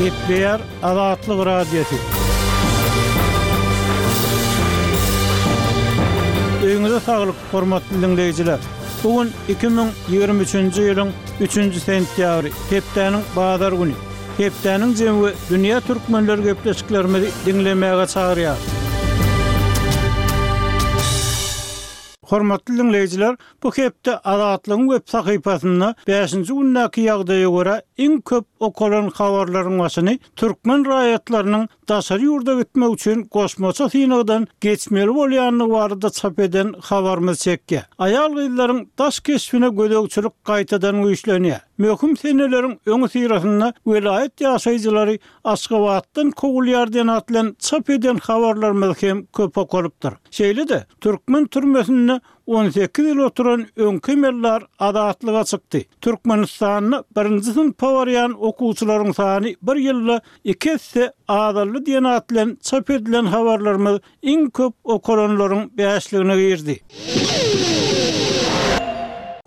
Gepleýär Azatlyk Radiosy. Öýüňize saglyk, hormatly diňleýjiler! Bu gün 2023-nji ýylyň üçünji sentýabry, hepdäniň bazar güni. Hepdäniň jemi we dünýä türkmenleri gepleşiklerimizi diňlemäge çagyrýar. Hormatly diňleýjiler, bu hepde Azatlygyň web sahypasynda bäşinji gündäki ýagdaýa görä iň köp okalan habarlaryň başyny türkmen raýatlarynyň daşary ýurda gitmek üçin goşmaça synagdan geçmeli bolýandygy barada çap eden habarymyz çekýär. Aýal-gyzlaryň daş keşbine gözegçilik gaýtadan güýçlenýär. Möhüm seneleriň öňüsyrasynda welaýat ýaşaýjylary Aşgabatdan kowulýar diýen at bilen çap eden habarlarymyz hem köp okalypdyr. Şeýle-de, türkmen türmesinde 18 ýyl oturan öňki emeldar azatlyga çykdy. Türkmenistanda birinji synpa barýan okuwçylaryň sany bir ýylda iki esse azaldy diýen at bilen çap edilen habarlarymyz iň köp okalanlaryň bäşligine girdi.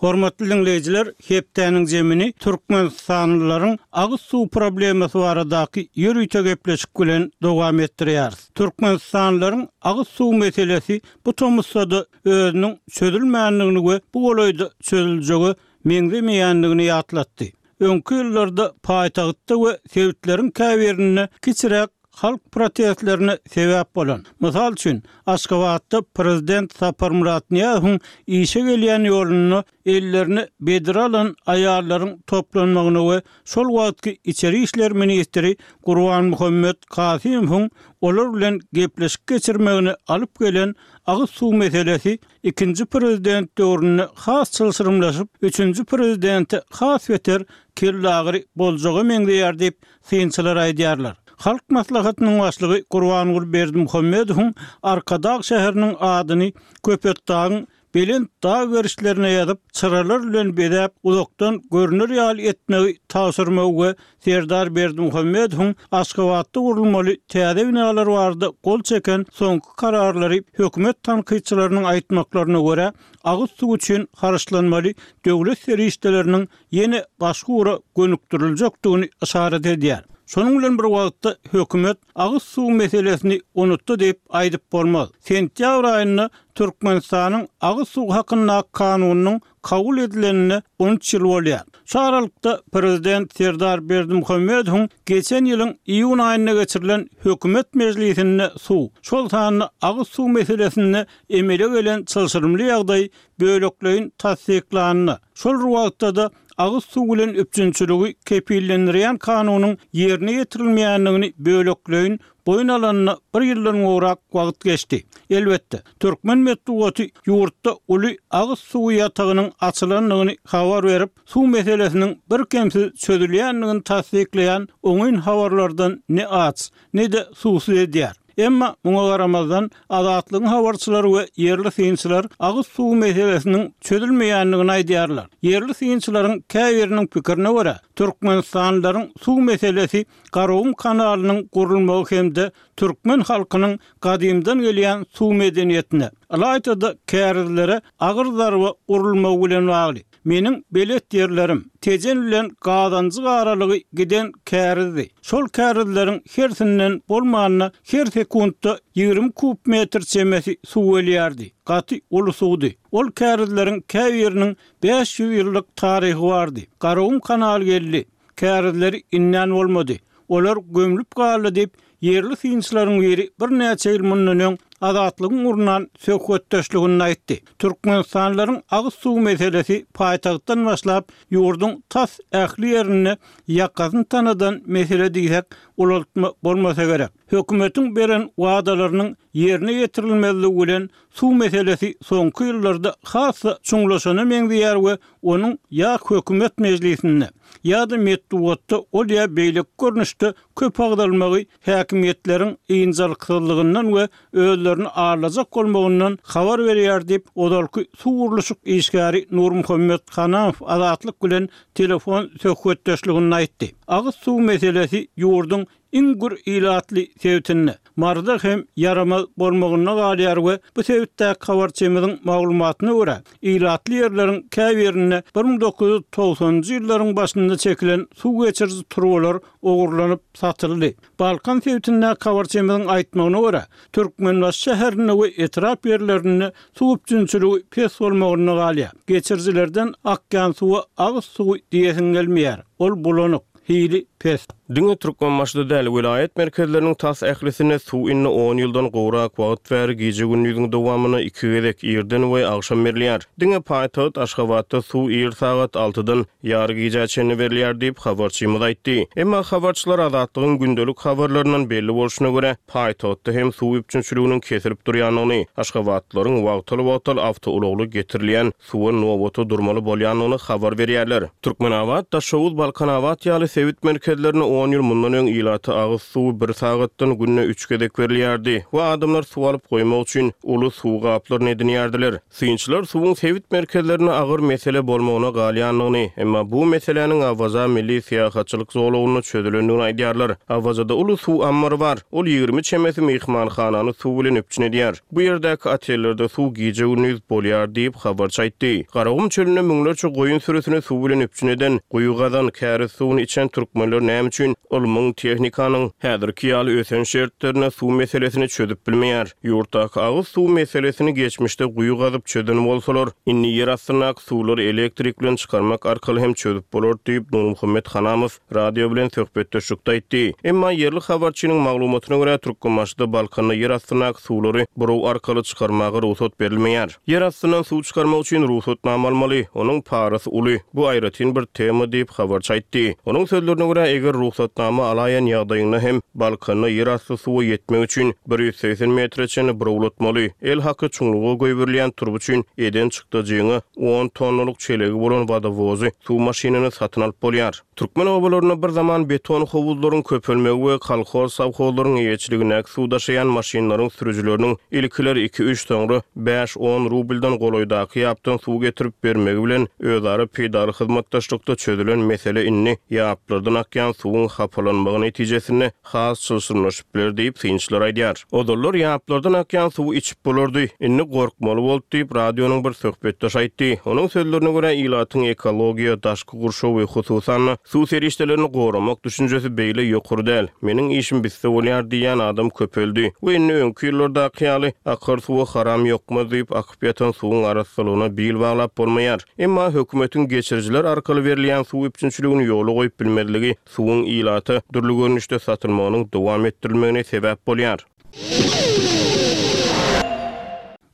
Hormatly diňleýjiler, hepdäniň jemini türkmenistanlylaryň agyz suw problemasy baradaky ýörite gepleşik bilen dowam etdirýäris. Türkmenistanlylaryň agyz suw meselesi bu tomusda-da özüniň çözülmändigini we bu golaýda çözüljege meňzemeýändigini ýatlatdy. Öňki ýyllarda paýtagtda we sebitleriň käbirinde kiçiräk halk protestlerine sebäp bolan, mysal üçin, Aşgabatda prezident Saparmyrat Nyýazowyň işe gelýän ýolunda ellerine bedre alan aýallaryň toplanmagyna we şol wagtky içeri işler ministri Gurbanmuhammet Kasymowyň olar bilen gepleşik geçirmegine alyp gelen agyz suw meselesi ikinji prezident döwründe has çylşyrymlaşyp, üçünji prezidente has beter kellagyry boljaga meňzeýär diýip, synçylar aýdýarlar. Halk Maslahatynyň Başlygy Gurbanguly Berdimuhamedowyň Arkadag şäheriniň adyny Köpetdagyň belent dag gerişlerine ýazyp, çyralar bilen bezäp, uzakdan görner ýaly etmegi tabşyrmagy we Serdar Berdimuhamedowyň Aşgabatda gurulmaly täze binalar barada gol çeken soňky kararlary hökümet tankytçylarynyň aýtmaklaryna görä, agyz suwy üçin harçlanmaly döwlet serişdeleriniň ýene başga ugra gönükdiriljekdigini yşarat edýär. Şonuň bilen bir wagtda, hökümet agyz suwy meselesini unutdy diýip aýdyp bolmaz. Sentýabr aýynda Türkmenistanyň Agyz suwy hakyndaky kanunynyň kabul edilenine 13 ýyl bolýar. Şu aralykda, prezident Serdar Berdimuhamedowyň geçen ýylyň iýun aýynda geçirilen hökümet mejlisinde suw, şol sanda agyz suw meselesinde emele gelen çylşyrymly ýagdaý bölekleýin tassyklanyna, şol bir wagtda-da agyz suw bilen üpjünçiligi kepillendirýän kanunyň ýerine ýetirilmeýändigini bölekleýin boýun alanyna bir ýyldan gowrak wagt geçdi. Elbetde, türkmen metbugaty ýurtda uly agyz suwy ýatagynyň açylandygyny habar berip, suw meselesiniň birkemsiz çözülýändigini tassyklaýan oňyn habarlardan ne aç, ne-de suwsuz edýär. Emma muňa garamazdan, Azatlygyň habarçylary we ýerli synçylar agyz suwy meselesiniň çözülmeýändigini aýdýarlar. Ýerli synçylaryň käbiriniň pikirine görä, türkmenistanlylaryň suw meselesi Garagum kanalynyň gurulmagy hem-de türkmen halkynyň gadymdan gelýän suw medeniýetine, ylaýta-da kärizlere agyr zarba urulmagy bilen bagly. Meniň belet ýerlerim, Tejen bilen Gazanjyk aralygy giden kärizdi. Şol kärizleriň hersinden bolmanda her sekuntda 20 kub metr çemesi suw gelýärdi. Gaty uly suwdy. Ol kärizleriň käbiriniň 500 ýyllyk taryhy bardy. Garagum kanaly geldi. Kärizleri indän bolmady. Olar gömlüp galdy diýip, ýerli synçylaryň biri birnäçe ýyl mundan öň Azatlygyň gurnan söhbetdeşliginde aýtdy. Türkmenistanlylaryň agyz suwy meselesi paýtagtdan başlap, ýurduň tas ähli ýerinde ýakasyny tanadan mesele diýsek, ulaltma bolmasa gerek. Hökümetiň beren wadalarynyň ýerine ýetirilmezligi bilen suw meselesi soňky ýyllarda has-da çuňlaşana meňzeýär we onuň ýa hökümet mejlisinde, ýa-da metbugatda ol ýa beýleki görnüşde köp agzalmagy häkimiýetleriň ynjalyksyzlygyndan we özlerini aldajak bolmagyndan habar berýär diýip, ozalky suw gurluşyk işgäri Nurmuhammet Hanamow Azatlyk bilen telefon söhbetdeşliginde aýtdy. Agyz suw meselesi ýurduň. iň gür ilatly sebitinde, Maryda hem ýaramaz bolmagynda galýar we bu sebitdäki habarçymyzyň maglumatyna görä, ilatly ýerleriň käbirinde 1990-njy ýyllaryň başynda çekilen suw geçiriji turbalar ogurlanyp satyldy. Balkan sebitindäki habarçymyzyň aýtmagyna görä, Türkmenbaşy şäherinde we etrap ýerlerinde suw üpjünçiligi pes bolmagynda galýar. Geçirijilerden akýan suwa agyz suwy diýesiň gelmeýär. Ol bulanyk, hili pes. Diňe Türkmenbaşyda däl, welaýat merkezleriniň tas ählisinde suw indi on ýyldan gowrak wagt bäri gije-gündiziň dowamynda iki gezek, irden we agşam berilýär. Diňe paýtagt Aşgabatda suw ir sagat altydan ýary gijä çenli berilýär diýip, habarçymyz aýtdy. Emma habarçylar Azatlygyň gündelik habarlaryndan belli bolşuna görä, paýtagtda hem suw üpjünçiliginiň kesilip durýandygyny, aşgabatlylaryň wagtal-wagtal awtoulagly getirilýän suwa nobata durmaly bolýandygyny habar berýärler. Türkmenabat, Daşoguz, Balkanabat ýaly sebit merkezlerinde on ýyl mundan öň ilata agyz suwy bir sagatdan günde üç gezek berilýärdi we adamlar suw alyp goýmak üçin uly suw gaplaryny edinýärdiler. Synçylar suwuň sebit merkezlerinde agyr mesele bolmagyna galýandygyny, emma bu meseläniň Awaza milli syýahatçylyk zolagynda çözülendigini aýdýarlar. Awazada uly suw ammary bar. Ol 20 çemesi myhmanhanany suw bilen üpjün edýär. Bu ýerdäki otellerde suw gije-gündiz bolýar diýip, habarçy aýtdy. Garagum çölünde müňlerçe goýun sürüsini suw bilen üpjün eden, guýy gazan, käriz suwuny içen türkmenler näme üçin ylmyň, tehnikanyň häzirki ýaly ösen şertlerinde suw meselesini çözüp bilmeýär? Ýurtdaky agyz suw meselesini geçmişde guýy gazyp çözen bolsalar, indi ýer astyndaky suwlary elektrik bilen çykarmak arkaly hem çözüp bolar diýip, Nurmuhammet Hanamow radio bilen söhbetdeşlikde aýtdy. Emma ýerli habarçynyň maglumatyna görä, Türkmenbaşyda, Balkanda ýer astyndaky suwlary buraw arkaly çykarmaga rugsat berilmeýär. Ýer astyndan suw çykarmak üçin rugsatnama almaly, onuň parasy uly, bu aýratyn bir tema diýip, habarçy aýtdy. Onuň sözlerine görä, eger rugsatnama alaýan ýagdaýyňda hem Balkanda ýerasty suwa ýetmek üçin 180 metre çenli burawlatmaly, el haky çuňluga goýberilýän turba üçin eden çykdajyňa on tonnalyk çelegi bolan wodowozy, suw maşynyny satyn alyp bolýar. Türkmen obalarynda bir zaman beton howuzlaryň köpelmegi we kolhoz-sowhozlaryň eýeçiligindäki suw daşaýan maşynlaryň sürüjileriniň ilkiler iki-üç, soňra bäş-on rubldan golaýdaky ýapdan suw getirip bermegi bilen özara peýdaly hyzmatdaşlykda çözülen mesele indi ýaplardan akýan suwuň hapalanmagy netijesinde has çylşyrymlaşyp biler diýip, synçylar aýdýar. Ozallar ýaplardan akýan suwy içip bolardy, indi gorkmaly boldy diýip, radionyň bir söhbetdeşi aýtdy. Onuň sözlerine görä, ilatyň ekologiýa, daşky gurşaw we hususan-da, suw serişdelerini goramak düşünjesi beýle ýokary däl. Meniň işim bitse bolýar diýýän adam köpeldi we indi öňki ýyllardaky ýaly, akar suwa haram ýokmaz diýip, akyp ýatan suwuň arassalygyna bil baglap bolmaýar. Emma hökümetiň geçirijiler arkaly berilýän suw üpjünçiligini ýola goýup bilmezligi suwuň ilata dürli görnüşde satylmagynyň dowam etdirilmegine sebäp bolýar.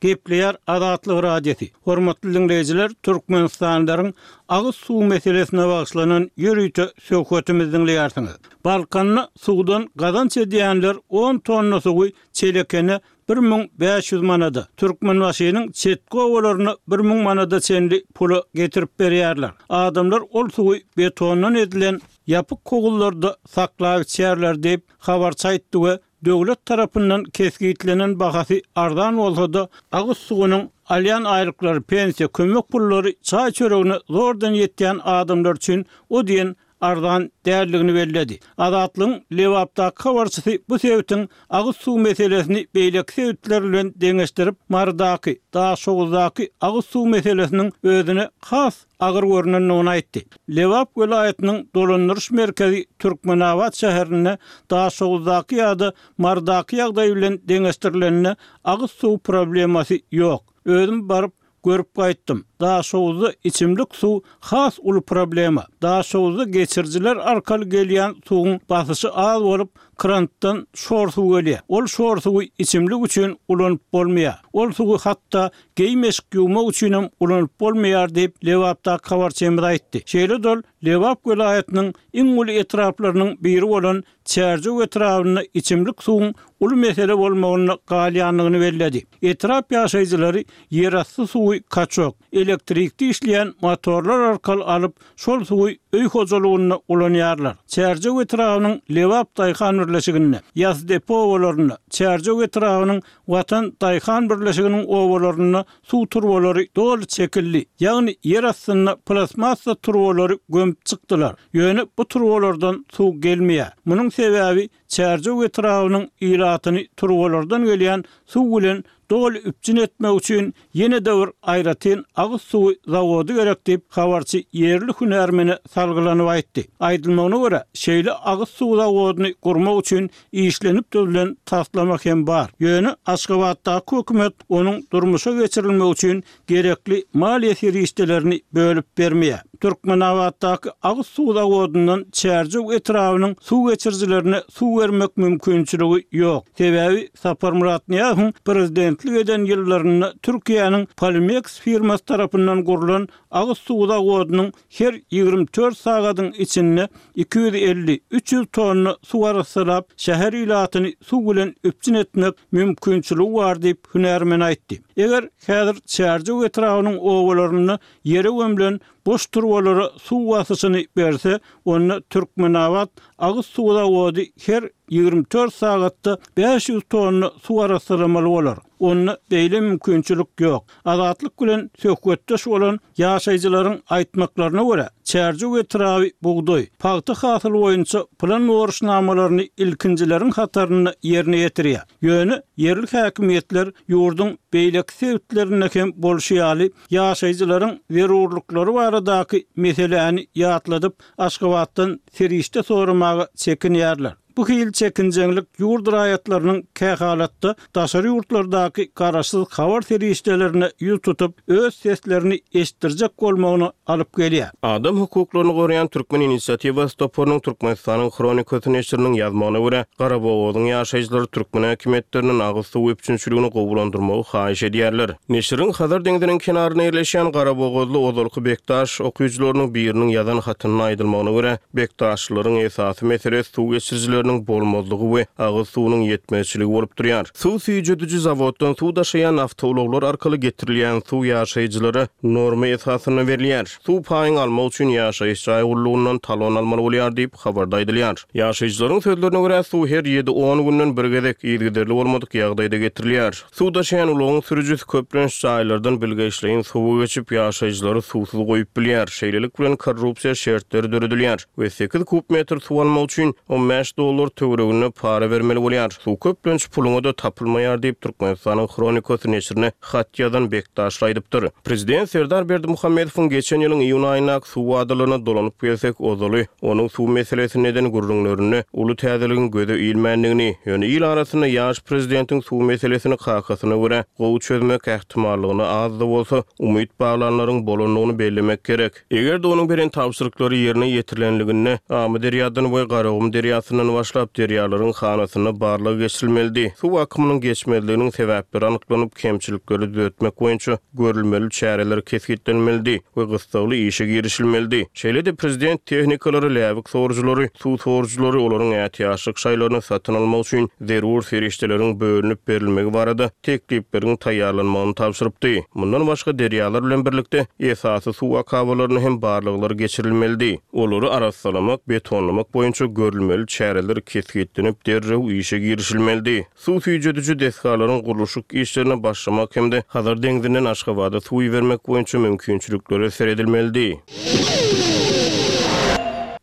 Gepleýär Azatlyk Radiosy. Hormatly diňleýjiler, türkmenistanlylaryň agyz suw meselesine bagyşlanan ýörite söhbetimizi diňleýärsiňiz. Balkanda suwdan gazanç edýänler on tonna suwy Çelekene 1500 manada, Türkmenbaşynyň çetki obalaryna 1000 manada çenli pula getirip berýärler. Adamlar ol suwy betondan edilen ýapyk howuzlarda saklap içýärler diýip, habarçy aýtdy we döwlet tarapyndan kesgitlenen bahasy arzan bolsa-da, agyz suwunyň alýan aýlyklary, pensiýa, kömek pullary çaý-çöregine zordan ýetýän adamlar üçin o diýen arzan däldigini belledi. Azatlygyň Lebapdaky habarçysy bu sebitiň agyz suw meselesini beýleki sebitler bilen deňeşdirip, Marydaky, Daşoguzdaky agyz suw meselesiniň özüne has agyr görnendigini aýtdy. Lebap welaýatynyň dolandyryş merkezi Türkmenabat şäherinde Daşoguzdaky ýa-da Marydaky ýagdaý bilen deňeşdirilende agyz suw problemasy ýok. Özüm baryp, Görüp gaýtdym. Daşoguzda içimlik suw has uly problema. Daşoguzda geçirijiler arkaly gelýän suwuň basyşy az bolup, krantdan şor suw gelýär. Ol şor suwy içimlik üçin ulanyp bolmaýar. Ol suwy hatda geýim-eşik ýuwmak üçinem ulanyp bolmaýar diýip, Lebapdaky habarçymyz aýtdy. Şeýle-de ol Lebap welaýatynyň iň uly etraplarynyň biri bolan Çärjew etrabynda içimlik suwuň uly mesele bolmagynda galýandygyny belledi. Etrap ýaşaýjylary ýerasty suwy kaçok, elektrikde işleýän motorlar arkaly alyp, şol suwy öý hojalygynda ulanýarlar. Çärjew etrabynyň Lebap daýhan birleşiginde, Ýasdepe obalarynda, Çärjew etrabynyň Watan daýhan birleşiginiň obalarynda suw turbalary doly çekildi, ýagny ýer astynda plastmassa turbalary gömüp çykdylar. Ýöne bu turbalardan suw gelmeýär. Munuň sebäbi Çärjew etrabynyň ilatyny turbalardan gelýän suw bilen doly üpjün etmek üçin ýene-de bir aýratyn agyz suwy zawody gerek diýip, habarçy ýerli hünärmene salgylanyp aýtdy. Aýdylmagyna görä, şeýle agyz suw zawodyny gurmak üçin işlenip düzülen taslama hem bar. Ýöne Aşgabatdaky hökümet onuň durmuşa geçirilmegi üçin gerekli maliýe serişdelerini bölüp bermeýär. Türkmenabatdaky agyz suw zawodyndan Çärjew etrabynyň suw geçirijilerine suw bermek mümkinçiligi ýok. Sebäbi Saparmyrat Nyýazowyň prezidentlik eden ýyllarynda Türkiýäniň Polimeks firmasy tarapyndan gurlan agyz suw zawodynyň her 24 sagadyň içinde 250, 300 tonna suw arassalap, şäher ilatyny suw bilen üpjün etmek mümkinçiligi bar diýip, hünärmen aýtdy. Eger häzir Çärjew etrabynyň obalarynda ýere gömlen boş turbalara suw basyşyny berse, onda Türkmenabat agyz suw zawody her 24 sagatda 500 tonna suw arassalamaly bolar. Onda beýle mümkinçilik ýok. Azatlyk bilen söhbetdeş bolan ýaşaýjylaryň aýtmaklaryna görä, Çärjew etraby bugdaý, pagta hasyly boýunça plan borçnamalaryny ilkinjileriň hatarynda ýerine ýetirýär. Ýöne ýerli häkimiýetler ýurduň beýleki sebitlerinde hem bolşy ýaly, ýaşaýjylaryň zerurlyklary baradaky meseläni ýatladyp, Aşgabatdan serişde soramaga çekinýärler. Bu hili çekinjeňlik ýurt raýatlarynyň kähalatda daşary ýurtlardaky garaşsyz habar serişdelerine ýüz tutup, öz seslerini eşitdirjek bolmagyna alyp gelýär. Adam hukuklaryny goraýan Türkmen inisiatiwasy toparynyň Türkmenistanyň Hronikasy neşiriniň ýazmagyna görä, Garabogazyň ýaşaýjylary türkmen häkimiýetlerinden agyz suwy üpjünçiligini gowulandyrmagy haýyş edýärler. Neşiriň Hazar deňziniň kenarynda ýerleşýän Garabogazly ozalky Bekdaş okyjylarynyň biriniň ýazan hatynda aýdylmagyna görä, Bekdaşlylaryň esasy meselesi suw geçirijileriniň bolmazlygy we agyz suwunyň ýetmezçiligi bolup durýar. Suw süýjediji zawoddan suw daşaýan awtoulaglar arkaly getirilýän suw ýaşaýjylara norma esasynda berilýär. Suw paýyňy almak üçin ýaşaýyş jaý gullugyndan talon almaly bolýar diýip, habarda aýdylýar. Ýaşaýjylaryň sözlerine görä, suw her ýedi-on günden bir gezek, yzygiderli bolmadyk ýagdaýda getirilýär. Suw daşaýan ulagyň sürüjisi köplenç jaýlardan bilgeşleýin suwa geçip, ýaşaýjylary suwsuz goýup bilýär. Şeýlelik bilen, korrupsiýa şertleri döredilýär we sekiz kub metr suw almak üçin 15 dollar töwereginde para bermeli bolýar. Suw köplenç puluňa-da tapylmaýar diýip, Türkmenistanyň Hronikasy neşirine hat ýazan Bekdaşly aýdypdyr. Prezident Serdar Berdimuhamedowyň geçen ýylyň iýun aýyndaky suw wadalaryna dolanyp gelsek, ozaly onuň suw meselesinde eden gürrüňlerinde uly täzeligiň göze ilmändigini, ýöne il arasynda ýaş prezidentiň suw meselesini kakasyna görä gowy çözmek ähtimallygyna az-da bolsa umyt baglanlaryň bolandygyny bellemek gerek. Eger-de onuň beren tabşyryklary ýerine ýetirilenliginde, Amyderýadan we Garagum derýasyndan başlap derýalaryň hanasynda barlag geçirilmelidi. Suw akymynyň geçmezliginiň sebäpleri anyklanyp, kemçilikleri düzetmek boýunça görülmeli çäreler kesgitlenmelidi we gyssagly işe girişilmelidi. Şeýle-de prezident tehnikalary, läbik sorujylary, suw sorujylary, olaryň ätiýaçlyk şaýlaryny satyn almak üçin zerur serişdeleriň bölünip berilmegi barada teklipleriň taýýarlanmagyny tabşyrypdy. Mundan başga, derýalar bilen birlikde, esasy suw akabalaryna hem barlaglar geçirilmelidi. Olary arassalamak, betonlamak boýunça görülmeli çäreler kesgitlenip, derrew işe girişilmelidi. Suw süýjediji desgalaryň gurluşyk işlerine başlamak hem-de Hazar deňzinden Aşgabada suw ibermek boýunça mümkinçiliklere seredilmelidi.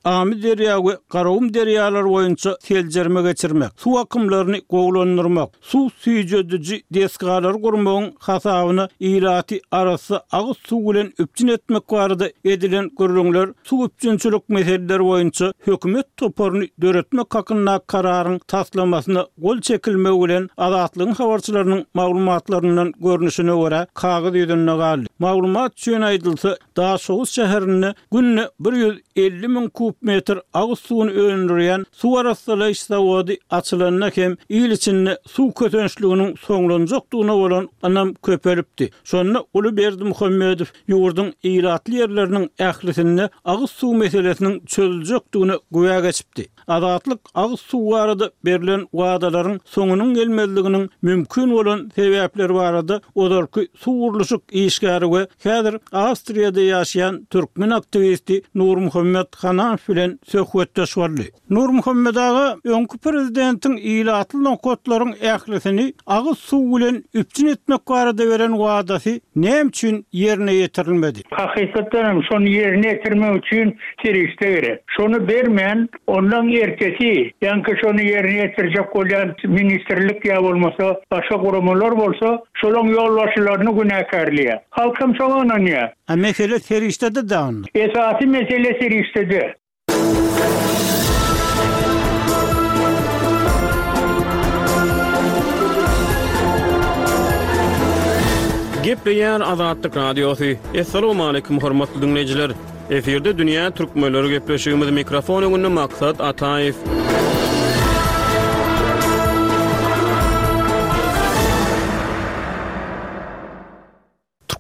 Amyderýa we Garagum derýalary boýunça seljerme geçirmek, suw akymlaryny gowulandyrmak, suw süýjediji desgalary gurmagyň hasabyna ilaty arassa agyz suw bilen üpjün etmek barada edilen gürrüňler suw üpjünçilik meseleleri boýunça hökümet toparyny döretmek hakyndaky kararyň taslamasyna gol çekilmegi bilen Azatlygyň habarçylarynyň maglumatlaryndan görnüşine görä, kagyz ýüzünde galdy. Maglumat üçin aýdylsa, Daşoguz şäherinde günde 150 müň kub metr agyz suwuny öndürýän suw arassalaýyş zawody açylanda hem il içinde suw kösençliginiň soňlanjakdygyna bolan ynam köpelipdi. Şonda uly Berdimuhamedow ýurduň ilatly ýerleriniň ählisinde agyz suw meselesiniň çözüljekdigine güwä geçipdi. Azatlyk agyz suwy barada berlen wadalaryň soňunyň gelmezliginiň mümkin bolan sebäpleri barada ozalky suw gurluşyk işgäri we häzir Awstriýada ýaşaýan türkmen aktiwisti Nurmuhammet Hanamow. Nurmuhammedow bilen söhbetdeş boldy. Nurmuhammet aga, öňki prezidentiň ilatly nokatlaryň ählisini agyz suw bilen üpjün etmek barada beren wadasy näme üçin ýerine ýetirilmedi? Hakykatdan hem şony ýerine ýetirmek üçin serişde gerek. Şony bermän, ondan ertesi, ýaňky şony ýerine ýetirjek bolýan ministrlik ýa bolmasa başga guramalar bolsa, şolaň ýolbaşçylaryny günäkärleýär. Halk hem şoňa ynanýar. A mesele serişdede-dä onda. Esasy mesele serişdede. Gepleýär Azatlyk Radiosy. Assalamualaikum hormatly diňleýjiler. Efirde dünýä türkmenleri gepleşigimiz mikrofon öňünde Maksat Ataýew.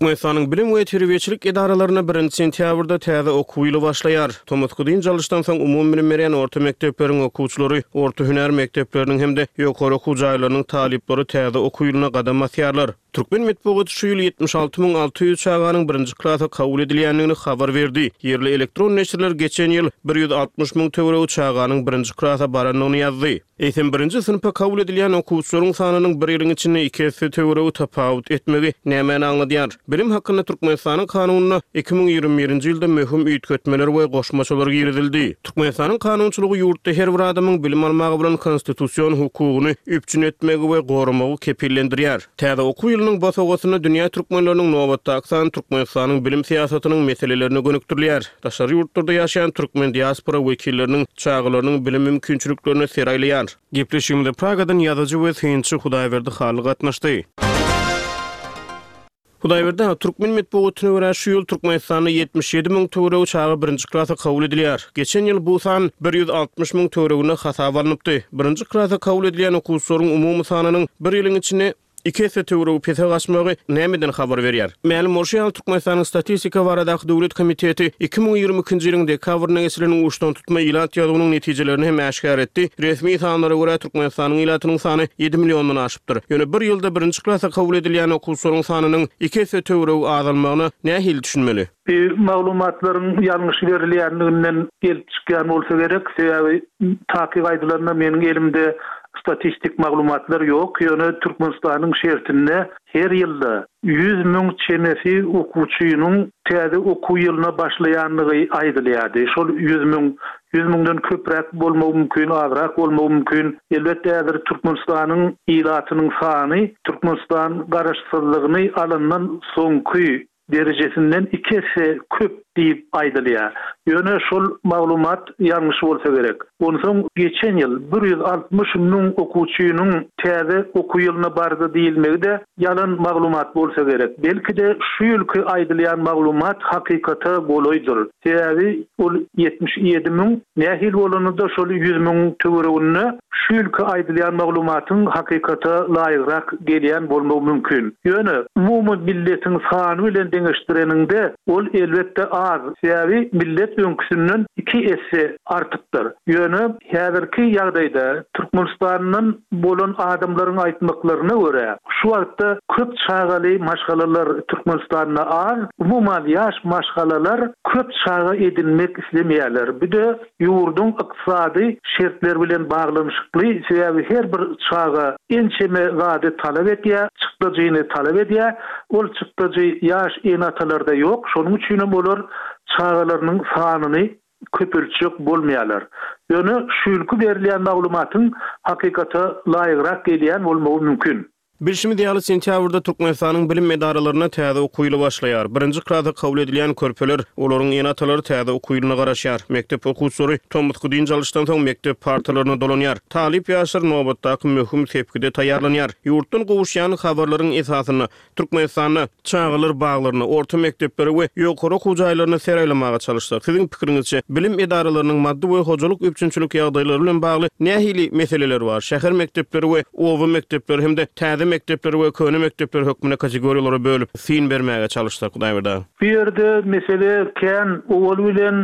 Türkmenistanyň bilim we terbiýeçilik edaralarynda birinji sentýabrda täze okuw ýyly başlaýar. Tomusky dynç alyşdan soň umumybilim berýän orta mekdepleriň okuwçylary, orta hünär mekdepleriniň hem-de ýokary okuw jaýlarynyň talyplary täze okuw ýylyna gadam basýarlar. Türkmen metbugaty şu ýyl 76 600 çaganyň birinji klasa kabul edilýändigini habar berdi. Ýerli elektron neşirler geçen ýyl 160 müň töweregi çaganyň birinji klasa barandygyny ýazdy. Eýsem, birinji synpa kabul edilýän okuwçylaryň sanynyň bir ýylyň içinde iki esse töweregi tapawut etmegi nämäni aňladýar? Bilim hakynda Türkmenistanyň Kanunyna 2021-nji ýylda möhüm üýtgetmeler we goşmaçalar girizildi. Türkmenistanyň kanunçylygy ýurtda her bir adamyň bilim almaga bolan konstitusion hukugyny üpjün etmegi we goramagy kepillendirýär. Täze okuw ýylynyň bosagasynda dünýä türkmenleriniň nobatdaky sany Türkmenistanyň bilim syýasatynyň meselelerine gönükdirilýär. Daşary ýurtlarda ýaşaýan türkmen diaspora wekilleriniň çagalarynyň bilim mümkinçiliklerine ser aýlaýar. Gepleşigimize Pragadan ýazyjy we synçy Hudaýberdi Hally gatnaşdy. Hudaýberdi aga, türkmen metbugatyna görä, şu ýyl Türkmenistanda 77 müň töweregi çaga birinji klasa kabul edilýär. Geçen ýyl bu san 160 müň töwereginde hasaba alnypdy. Birinji klasa kabul edilýän okuwçylaryň umumy sanynyň bir ýylyň içinde Iki esse töweregi pese gaçmagy nämeden habar berýär? Mälim bolşy ýaly, Türkmenistanyň Statistika baradaky döwlet komiteti 2022-nji ýylyň dekabrynda geçirilen uçdantutma ilat ýazuwynyň netijelerini hem äşgär etdi. Resmi sanlara görä, Türkmenistanyň ilatynyň sany ýedi milliondan aşypdyr. Ýöne bir ýylda birinji klasa kabul edilýän okuwçylaryň sanynyň iki esse töweregi azalmagyna nähili düşünmeli? Bu maglumatlaryň ýalňyş berilýänliginden gelip çykýan bolsa gerek. Sebäbi takyk aýdylanda meniň elimde statistik maglumatlar ýok. Ýöne Türkmenistanyň şertinde her ýylda 100 müň çemesi okuwçynyň täze okuw ýylyna başlaýandygy aýdylýardy. Şol 100 müň, ýüz müňden köpräk bolmagy mümkin, azrak bolmagy mümkin. Elbetde häzir Türkmenistanyň ilatynyň sany Türkmenistan garaşsyzlygyny alandan soňky derejesinden iki esse köp diýip aýdylýar. Ýöne şol maglumat ýalňyş bolsa gerek. Onsoň geçen ýyl 160 müň okuwçynyň täze okuw ýylyna bardy diýilmegi-de ýalan maglumat bolsa gerek. Belki-de şu ýylky aýdylýan maglumat hakykata golaýdyr. Sebäbi ol 77 müň nähili bolanda-da şol ýüz müňüň töwereginde Şu ýylky aýdylýan maglumatyň hakykata laýygrak gelýän bolmagy mümkin. Ýöne, umumy milletiň sany bilen deňeşdireniňde, ol elbetde az, sebäbi millet öňküsinden iki esse artypdyr. Ýöne, häzirki ýagdaýda Türkmenistandan bolan adamlaryň aýtmaklaryna görä, şu wagtda köp çagaly maşgalalar Türkmenistanda az, umuman ýaş maşgalalar köp çaga edinmek islemeýärler. Bu-de ýurduň ykdysady şertleri bilen baglanyşykly, sebäbi her bir çaga ençeme zady talap edýär, çykdajyny talap edýär. Ol çykdajy ýaş ene-atalarda ýok, şonuň üçinem olar çagalarynyň sanyny köpeltjek bolmaýarlar. Ýöne şu ýylky berilýän maglumatyň hakykata laýygrak gelýän bolmagy mümkin. Bilşimiz ýaly, sentýabrda Türkmenistanyň bilim edaralarynda täze okuw ýyly başlaýar. Birinji klasa kabul edilýän körpeler, olaryň ene-atalary täze okuw ýylyna garaşýar. Mekdep okuwçylary tomusky dynç alyşdan soň mekdep partalaryna dolanýar. Talyp ýaşlar nobatdaky möhüm sepgide taýýarlanýar. Ýurtdan gowuşýan habarlaryň esasynda, Türkmenistanda çagalar baglaryna, orta mekdeplere we ýokary okuw jaýlaryna ser aýlamaga çalyşsak, siziň pikiriňizçe, bilim edaralarynyň maddy we hojalyk üpjünçilik ýagdaýlary bilen bagly nähili meseleler bar? Şäher mekdepleri we oba mekdepleri hem-de täze mekdepler we köne mekdepler hökmünde kategoriýalara bölüp, syn bermäge çalyşsak, Hudaýberdi aga. Bu ýerde mesele kän, owal bilen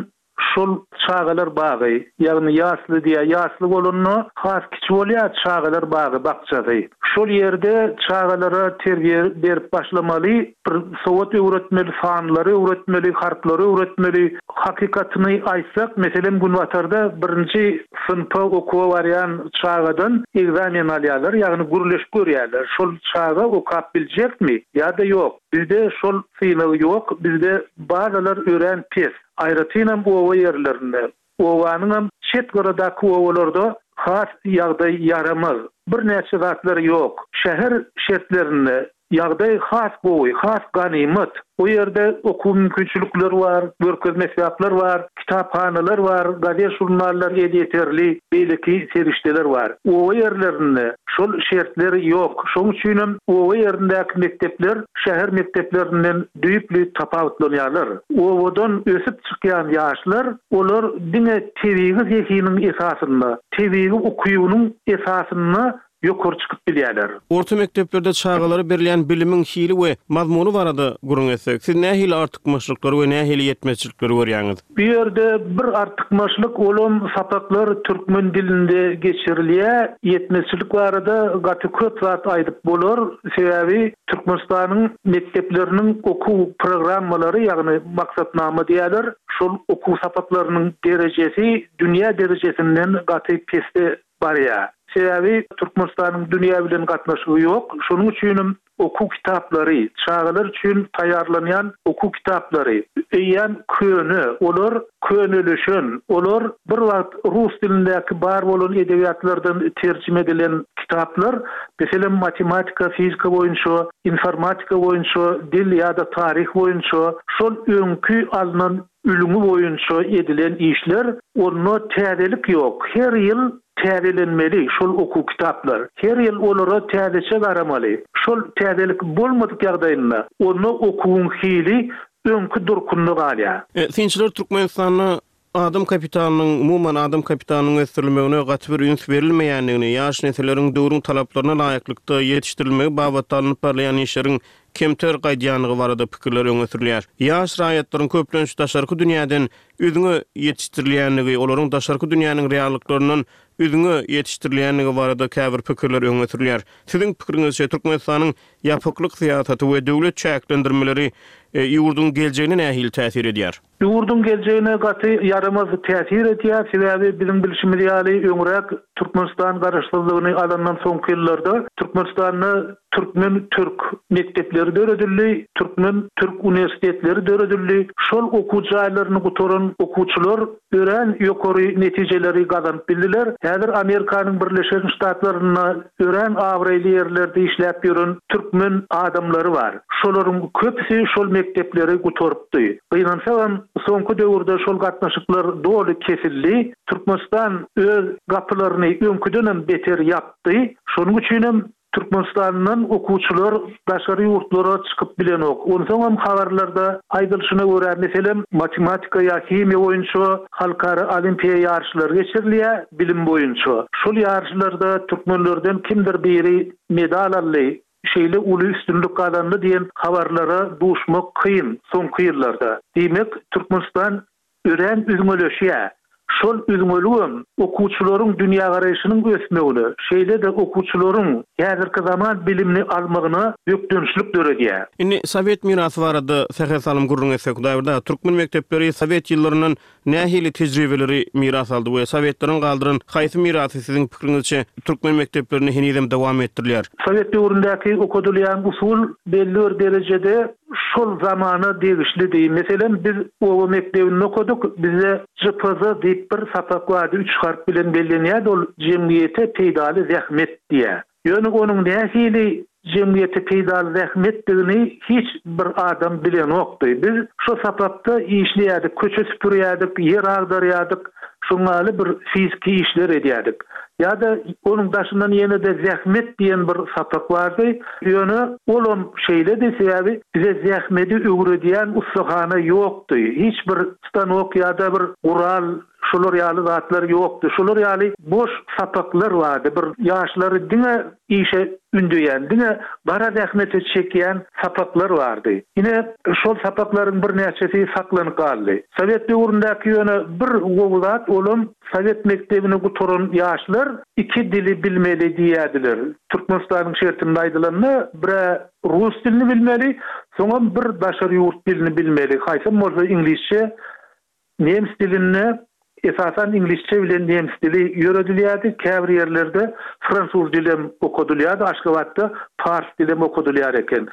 Şol çagalar bagy, ýagny ýasly diýýär, ýasly bolanda has kiçi bolýar çagalar bagy, bakjasy. Şol ýerde çagalara terbiýe berip başlamaly, bir sowat öwretmeli, sanlary öwretmeli, harplary öwretmeli. Hakykatyny aýtsak, meselem, Günbatarda birinji synpa okuwa barýan çagadan ekzamen alýarlar, ýagny gürleşip görýärler, şol çaga okap biljekmi ýa-da ýok. Bizde şol synag ýok, bizde bazalar örän pes, aýratynam oba ýerlerinde. Obanyňam çet gyradaky obalarda has ýagdaý ýaramaz. Birnäçe zatlar ýok. Şäher şertlerinde ýagdaý has gowy, has ganymat. O ýerde okuw mümkinçilikleri bar, görkezme esbaplar bar, kitaphanalar bar, gazet-žurnallar elýeterli, beýleki serişdeler bar. Oba ýerlerinde şol şertler ýok. Şonuň üçinem oba ýerindäki mekdepler şäher mekdeplerinden düýpli tapawutlanýarlar. Obadan ösüp çykýan ýaşlar, olar diňe tebigy zehiniň esasynda, tebigy ukybynyň esasynda ýokary çykyp bilýärler. Orta mekdeplerde çagalara berilýän bilimiň hili we mazmuny barada gürrüň etsek, siz nähili artykmaçlyklary we nähili ýetmezçilikleri görýäňiz? Bu ýerde bir artykmaçlyk olam sapaklar türkmen dilinde geçirilýär. Ýetmezçilik barada gaty köp zat aýdyp bolar. Sebäbi Türkmenistanyň mekdepleriniň okuw programmalary ýagny maksatnama diýýärler, şol okuw sapaklarynyň derejesi dünýä derejesinden gaty pesde barýar. Sebäbi Türkmenistanyň dünýä bilen gatnaşygy ýok. Şonuň üçinem okuw kitaplary, çagalar üçin taýýarlanýan okuw kitaplary eýýäm köne, olar könelişen, olar bir wagt rus dilindäki bar bolan edebiýatlardan terjime edilen kitaplar, meselem, matematika, fizika boýunça, informatika boýunça, dil ýa-da taryh boýunça şol öňki alnan Ülňi boýunça edilen işler, onda täzelik ýok. Her ýyl täzelenmeli şol okuw kitaplar. Her ýyl olara täzeçe garamaly. Şol täzelik bolmadyk ýagdaýynda, onda okuwyň hili öňki durkunda galýar. Synçylar Türkmenistanda adam kapitalynyň, umuman, adam kapitalynyň ösdürilmegine gaty bir üns berilmeýändigini, ýaş nesilleriň döwrüň talaplaryna laýyklykda ýetişdirilmegi babatda alnyp barylýan işleriň kemter gaýdýandygy barada pikirler öňe sürülýär. Ýaş raýatlaryň köplenç daşarky dünýäden üzňe ýetişdirilýändigi, olaryň daşarky dünýäniň reallyklaryndan üzňe ýetişdirilýändigi barada käbir pikirler öňe sürülýär. Siziň pikiriňizçe, Türkmenistanyň ýapyklyk syýasaty we döwlet çäklendirmeleri ýurduň geljegine nähili täsir edýär? Ýurduň geljegine gaty ýaramaz täsir edýär, sebäbi biziň bilşimiz ýaly öňräk Türkmenistan garaşsyzlygyny alandan soňky ýyllarda Türkmenistanda türkmen-türk mekdepleri döredildi, türkmen-türk uniwersitetleri döredildi. Şol okuw jaýlaryny gutaran okuwçylar örän ýokary netijeleri gazanyp bildiler. Häzir Amerikanyň Birleşen Ştatlarynda örän abraýly ýerlerde işläp ýören türkmen adamlary bar. Şolaryň köpüsi şol mekdepleri gutarypdy. Gynansagam, soňky döwürde şol gatnaşyklar doly kesildi. Türkmenistan öz gapylaryny öňküdenem beter ýapdy. Şonuň üçinem Türkmenistandan okuwçylar daşary ýurtlara çykyp bilenok. Onsoňam habarlarda aýdylyşyna görä, meselem, matematika ýa himiýa boýunça halkara olimpiýa ýaryşlary geçirilýär, bilim boýunça. Şol ýaryşlarda türkmenlerden kimdir biri medal aldy, şeýle uly üstünlik gazandy diýen habarlara duşmak kyn soňky ýyllarda. Diýmek, Türkmenistan örän üzňeleşýär. Şol üzňeligem okuwçylaryň dünýägaraýşynyň ösmegine, şeýle-de okuwçylaryň häzirki zaman bilimini almagyna bökdençlik döredýär. Indi sowet mirasy barada sähel salym gürrüň etsek, Hudaýberdi aga, türkmen mekdepleri sowet ýyllaryndan nähili tejribeleri miras aldy we sowetleriň galdyran haýsy mirasy siziň pikiriňizçe türkmen mekdeplerinde henizem dowam etdirilýär? Sowet döwründäki okadylýan usul belli bir derejede şol zamana degişlidi. Meselem, biz oba mekdebinde okadyk, bizde JPZ diýip bir sapak bardy, üç harp bilen bellenýärdi, ol jemgyýete peýdaly zähmet diýýär. Ýöne onuň nähili jemgyýete peýdaly zähmetdigini hiç bir adam bilenokdy. Biz şo sapakda işleýärdik, köçe süpürýärdik, ýer agdarýardyk, şoň ýaly bir fiziki işler edýärdik. Ýa-da onuň daşyndan ýene-de zähmet diýen bir sapak bardy. Ýöne olam şeýledi, sebäbi bize zähmedi öwredýän ussahana ýokdy. Hiç bir stanok ýa-da bir gural. Şolar ýaly zatlar ýokdy. Şolar ýaly boş sapaklar bardy. Bir ýaşlary diňe işe ündeýän, diňe gara zähmete çekýän sapaklar bardy. Ine, şol sapaklaryň birnäçesi saklanyp galdy. Sowet döwründäki ýöne bir gowy zat, olam sowet mekdebini gutaran ýaşlar iki dili bilmeli diýýärdiler. Türkmenistanyň şertinde aýdylanda, bir-ä rus dilini bilmeli, soňam bir daşary ýurt dilini bilmeli, haýsam bolsa iňlisçe, Nemes dilinde, esasan iňlisçe bilen nemes dili ýöredilýärdi, käbir ýerlerde fransuz dilem okadylýardy, Aşgabatda pars dilem okadylýar eken.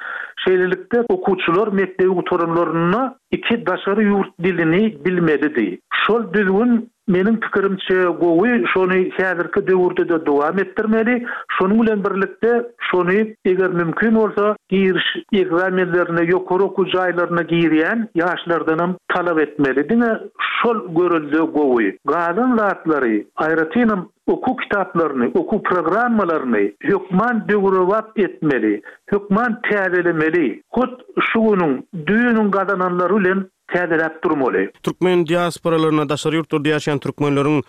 Şeýlelikde, okuwçylar mekdebi gutaranlarynda iki daşary ýurt dilini bilmelidi. Şol düzgün Meniň pikirimçe gowy, şony häzirki döwürde-de dowam etdirmeli. Şonuň bilen birlikde şony eger mümkin bolsa giriş ekzamenlerine ýokary okuw jaýlaryna girýän ýaşlardanam talap etmeli. Diňe şol görelde gowy. Galan zatlary, aýratynam okuw kitaplaryny, okuw programmalaryny hökman döwrebap etmeli, hökman täzelemeli. Hut şu günüň, düýnüň gazananlary bilen täzeläp durmaly. Türkmen diasporalarynda daşary ýurtlarda ýaşaýan türkmenleriň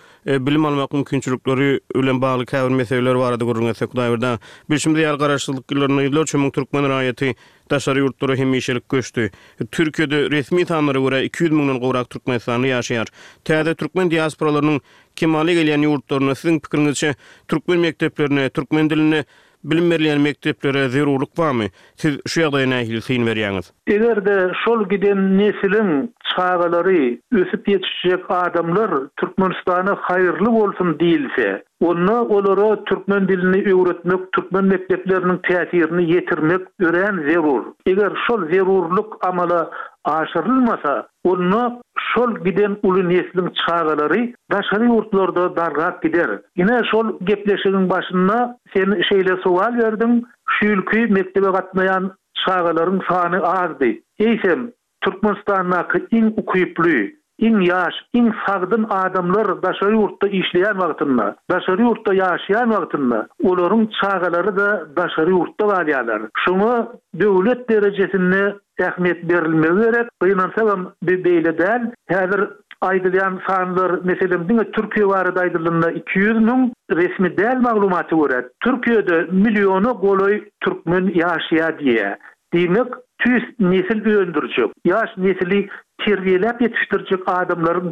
bilim almak mümkinçilikleri bilen bagly käbir meseleler barada gürrüň etsek, Hudaýberdi aga. Bilşimiz ýaly, Garaşsyzlyk ýyllarynda ýüzlerçe müň türkmen raýaty daşary ýurtlara hemişelik göçdi. Türkiýede resmi sanlara görä 200 müňden gowrak türkmenistanly ýaşaýar. Täze türkmen diasporalarynyň kemala gelýän ýurtlarynda siziň pikiriňizçe türkmen mekdeplerine, türkmen dilinde Bilim berilýän mekdeplere zerurlyk barmy? Siz şu ýagdaýa nähili syn berýäňiz? Eger-de şol giden nesiliň çagalary, ösüp ýetişjek adamlar Türkmenistana haýyrly bolsun diýilse, onda olara türkmen dilini öwretmek, türkmen mekdepleriniň täsirini ýetirmek örän zerur. Eger şol zerurlyk amala aşyrylmasa, Onda şol giden uly nesliň çagalary daşary ýurtlarda dargap gider. Ine, şol gepleşigiň başynda sen şeýle sowal berdiň, şu ýylky mekdebe gatnaýan çagalaryň sany azdy. Eýsem, Türkmenistandaky iň ukyply, iň ýaş, iň sagdyn adamlar daşary ýurtda işleýän wagtynda, daşary ýurtda ýaşaýan wagtynda, olaryň çagalary-da daşary ýurtda galýarlar. Şoňa döwlet derejesinde ähmiýet berilmegi gerek. Gynansagam bi beýle däl. Häzir aýdylýan sanlar, meselem, diňe Türkiýe barada aýdylanda 200 müň, resmi däl maglumata görä, Türkiýede milliona golaý türkmen ýaşaýar diýýär. Diýmek, tüýs nesil öndürjek, ýaş nesili terbiýeläp ýetişdirjek adamlaryň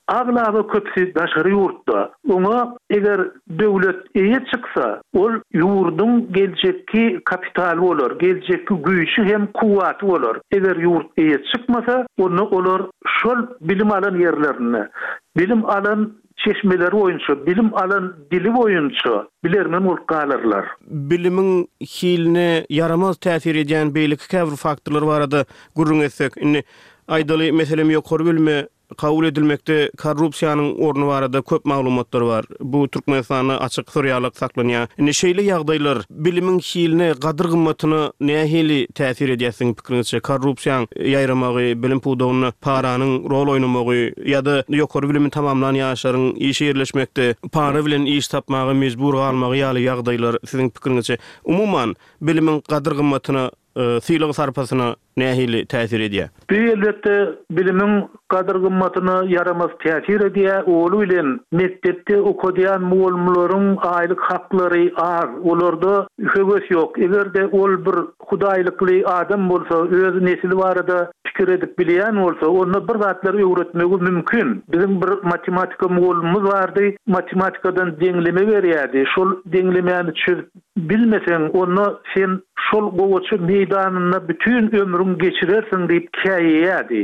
Aglaba köpüsi daşary ýurtda. Oňa eger döwlet eýe çyksa, ol ýurduň geljekki kapitaly bolar, geljekki güýji hem kuwwaty bolar. Eger ýurt eýe çykmasa, onda olar şol bilim alan ýerlerinde, bilim alan çeşmeleri boýunça, bilim alan dili boýunça bilermen bolup galarlar. Bilimiň hiline ýaramaz täsir edýän beýleki käbir faktorlar barada gürrüň etsek, indi, aýdaly, meselem, ýokary bilime Kabul edilmekde korrupsiýanyň orny barada köp maglumatlar bar. Bu Türkmenistanda açyk syr ýalak saklanýar. Indi şeýle ýagdaýlar bilimiň hiline, gadyr-gymmatyna nähili täsir edýär siziň pikiriňizçe? Korrupsiýaň ýaýramagy, bilim pudagynda paranyň rol oýnamagy ýa-da ýokary bilimi tamamlan ýaşlaryň işe ýerleşmekde para bilen iş tapmaga mejbur galmagy ýaly ýagdaýlar siziň pikiriňizçe umuman bilimiň gadyr-gymmatyna, sylag-sarpasyna nähili täsir edýär? Bu elbetde bilimiň gadyr-gymmatyna ýaramaz täsir edýär. Oly bilen mekdepde okadýan mugallymlaryň aýlyk haklary az, olarda höwes ýok. Eger-de ol bir hudaýlykly adam bolsa, öz nesli barada pikir edip bilýän bolsa, onda bir zatlar öwretmegi mümkin. Biziň bir matematika mugallymymyz bardy, matematikadan deňleme berýärdi. Şol deňlemäni çözüp Bilmeseň, onda sen şol gowaça meýdanynda bütin ömrüňi geçirersiň diýip käýeýärdi.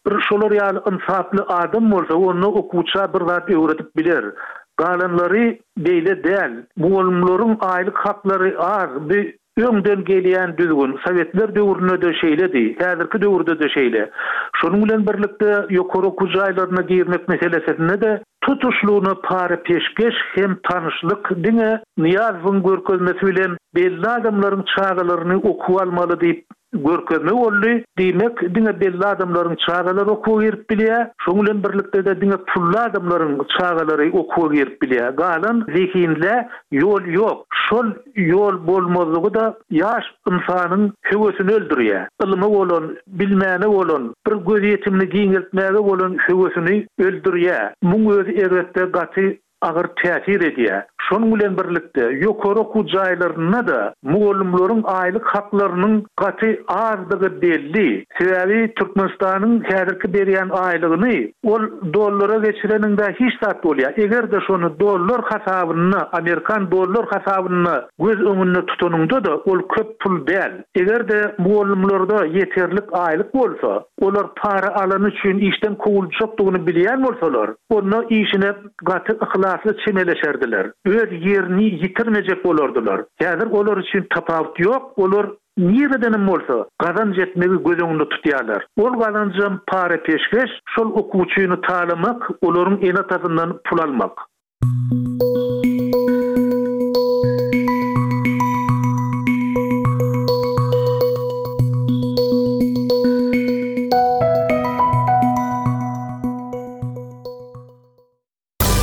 Bir şolar ýaly ynsaply adam bolsa, onda okuwça bir zat öwredip biler. Galanlary beýle däl. Mugallymlaryň aýlyk haklary az, bu öňden gelýän düzgün, sowetler döwründe-de şeýledi, häzirki döwürde-de şeýle. Şonuň bilen birlikde, ýokary okuw jaýlaryna girmek meselesinde-de Tutuşlygyna para-peşgeş hem tanyşlyk diňe Nyýazowyň görkezmesi bilen belli adamlaryň çagalaryny okuwa almaly diýip. Görkezme boldy. Diýmek, diňe belli adamlaryň çagalary okuwa girip bilýär. Şoň bilen birlikde-de diňe pully adamlaryň çagalary okuwa girip bilýär. Galan zehinlä ýol ýok. Şol ýol bolmazlygy-da ýaş ynsanyň höwesini öldürýär. Ylyma bolan, bilmäne bolan, bir gözýetimini giňeltmäge bolan höwesini öldürýär. Muň özi erbetde gaty agyr täsir edýär. Şonuň bilen birlikde, ýokary okuw jaýlarynda-da mugallymlaryň aýlyk haklarynyň gaty azdygy belli. Sebäbi Türkmenistanyň häzirki berýän aýlygyny ol dollara geçireniňde hiç zat bolýar. Eger-de şony dollar hasabynda, amerikan dollar hasabynda göz öňünde tutanyňda-da ol köp pul däl. Eger-de mugallymlarda ýeterlik aýlyk bolsa, olar para alany üçin işden kowuljakdygyny bilýän bolsalar, onda işine gaty yhlasly çemeleşerdiler. Öz ýerini ýitirmejek bolardylar. Häzir olar üçin tapawut ýok, olar niredenem bolsa gazanç etmegi göz öňünde tutýarlar. Ol gazanjam para-peşgeş, şol okuwçyny talamak, olaryň ene-atasyndan pul almak.